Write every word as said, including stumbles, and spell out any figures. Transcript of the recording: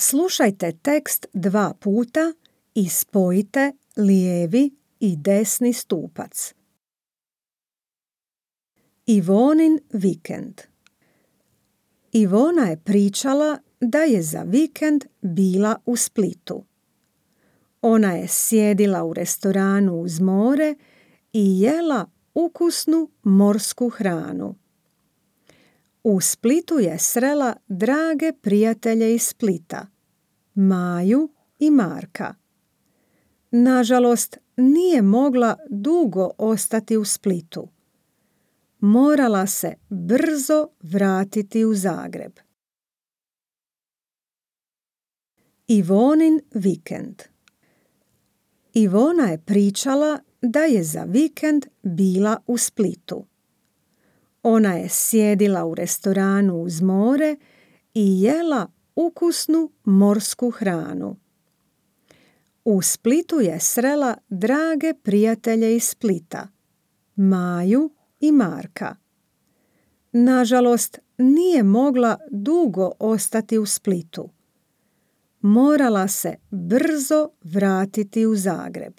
Slušajte tekst dva puta i spojite lijevi i desni stupac. Ivonin vikend. Ivona je pričala da je za vikend bila u Splitu. Ona je sjedila u restoranu uz more i jela ukusnu morsku hranu. U Splitu je srela drage prijatelje iz Splita, Maju i Marka. Nažalost, nije mogla dugo ostati u Splitu. Morala se brzo vratiti u Zagreb. Ivonin vikend. Ivona je pričala da je za vikend bila u Splitu. Ona je sjedila u restoranu uz more i jela ukusnu morsku hranu. U Splitu je srela drage prijatelje iz Splita, Maju i Marka. Nažalost, nije mogla dugo ostati u Splitu. Morala se brzo vratiti u Zagreb.